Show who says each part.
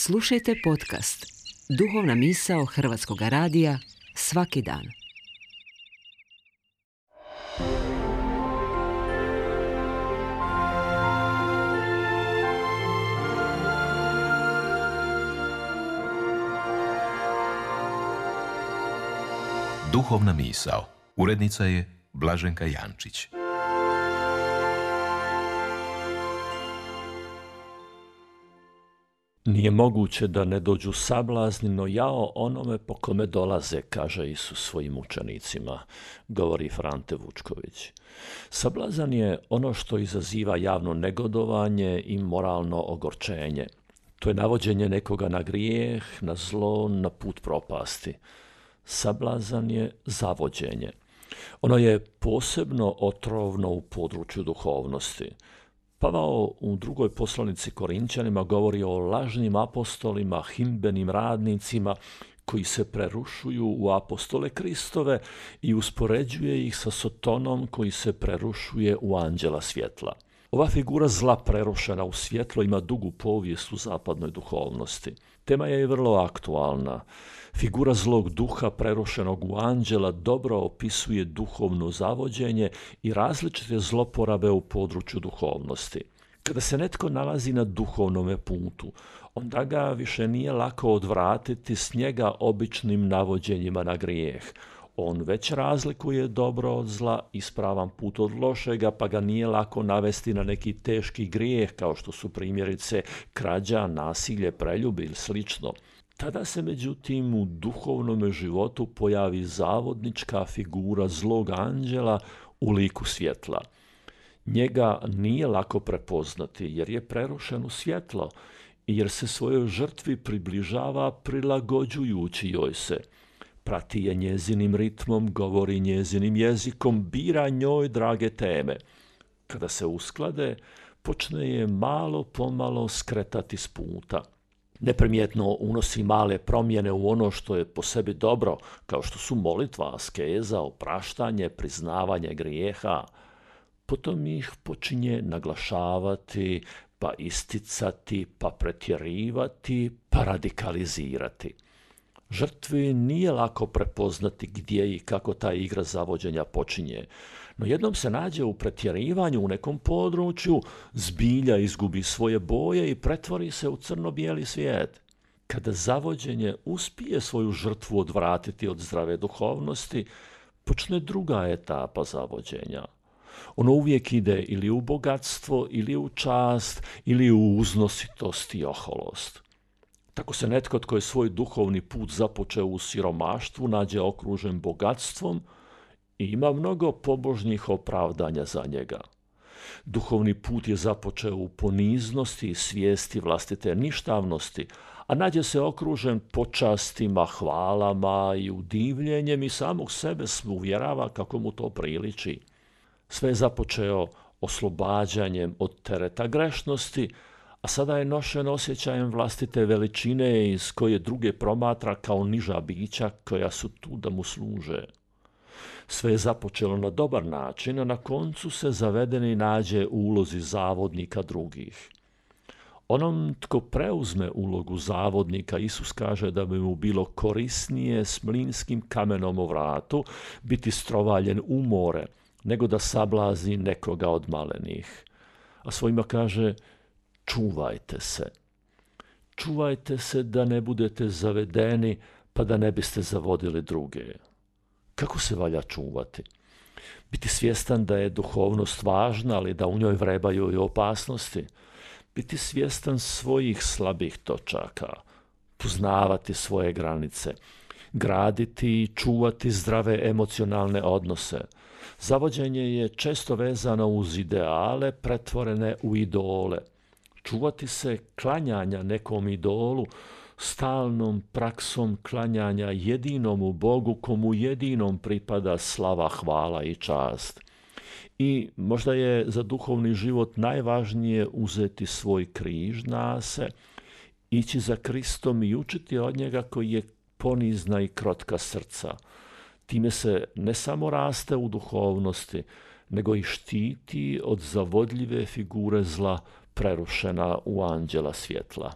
Speaker 1: Slušajte podcast Duhovna misao Hrvatskog radija svaki dan.
Speaker 2: Duhovna misao. Urednica je Blaženka Jančić.
Speaker 3: Nije moguće da ne dođu sablazni, no jao onome po kome dolaze, kaže Isus svojim učenicima, govori Frante Vučković. Sablazan je ono što izaziva javno negodovanje i moralno ogorčenje. To je navođenje nekoga na grijeh, na zlo, na put propasti. Sablazan je zavođenje. Ono je posebno otrovno u području duhovnosti. Pavao u drugoj poslanici Korinćanima govori o lažnim apostolima, himbenim radnicima koji se prerušuju u apostole Kristove i uspoređuje ih sa Sotonom koji se prerušuje u anđela svjetla. Ova figura zla prerušena u svjetlo ima dugu povijest u zapadnoj duhovnosti. Tema je vrlo aktualna. Figura zlog duha prerušenog u anđela dobro opisuje duhovno zavođenje i različite zloporabe u području duhovnosti. Kada se netko nalazi na duhovnome putu, onda ga više nije lako odvratiti s njega običnim navođenjima na grijeh. On već razlikuje dobro od zla, ispravan put od lošega, pa ga nije lako navesti na neki teški grijeh, kao što su primjerice krađa, nasilje, preljube ili slično. Tada se međutim u duhovnom životu pojavi zavodnička figura zlog anđela u liku svjetla. Njega nije lako prepoznati jer je prerušen u svjetlo i jer se svojoj žrtvi približava prilagođujući joj se. Prati je njezinim ritmom, govori njezinim jezikom, bira njoj drage teme. Kada se usklade, počne je malo pomalo skretati s puta. Neprimjetno unosi male promjene u ono što je po sebi dobro, kao što su molitva, askeza, opraštanje, priznavanje grijeha. Potom ih počinje naglašavati, pa isticati, pa pretjerivati, pa radikalizirati. Žrtvi nije lako prepoznati gdje i kako ta igra zavođenja počinje, no jednom se nađe u pretjerivanju u nekom području, zbilja izgubi svoje boje i pretvori se u crno-bijeli svijet. Kada zavođenje uspije svoju žrtvu odvratiti od zdrave duhovnosti, počne druga etapa zavođenja. Ono uvijek ide ili u bogatstvo, ili u čast, ili u uznositost i oholost. Tako se netko tko je svoj duhovni put započeo u siromaštvu nađe okružen bogatstvom i ima mnogo pobožnih opravdanja za njega. Duhovni put je započeo u poniznosti i svijesti vlastite ništavnosti, a nađe se okružen počastima, hvalama i udivljenjem i samog sebe se uvjerava kako mu to priliči. Sve je započeo oslobađanjem od tereta grešnosti, a sada je nošen osjećajem vlastite veličine iz koje druge promatra kao niža bića koja su tu da mu služe. Sve je započelo na dobar način, a na koncu se zavedeni nađe u ulozi zavodnika drugih. Onom tko preuzme ulogu zavodnika, Isus kaže da bi mu bilo korisnije s mlinskim kamenom u vratu biti strovaljen u more, nego da sablazi nekoga od malenih. A svojima kaže: čuvajte se. Čuvajte se da ne budete zavedeni, pa da ne biste zavodili druge. Kako se valja čuvati? Biti svjestan da je duhovnost važna, ali da u njoj vrebaju i opasnosti. Biti svjestan svojih slabih točaka. Poznavati svoje granice. Graditi i čuvati zdrave emocionalne odnose. Zavođenje je često vezano uz ideale pretvorene u idole. Čuvati se klanjanja nekom idolu, stalnom praksom klanjanja jedinomu Bogu komu jedinom pripada slava, hvala i čast. I možda je za duhovni život najvažnije uzeti svoj križ na se, ići za Kristom i učiti od njega koji je ponizna i krotka srca. Time se ne samo raste u duhovnosti, nego i štiti od zavodljive figure zla prerušena u anđela svjetla.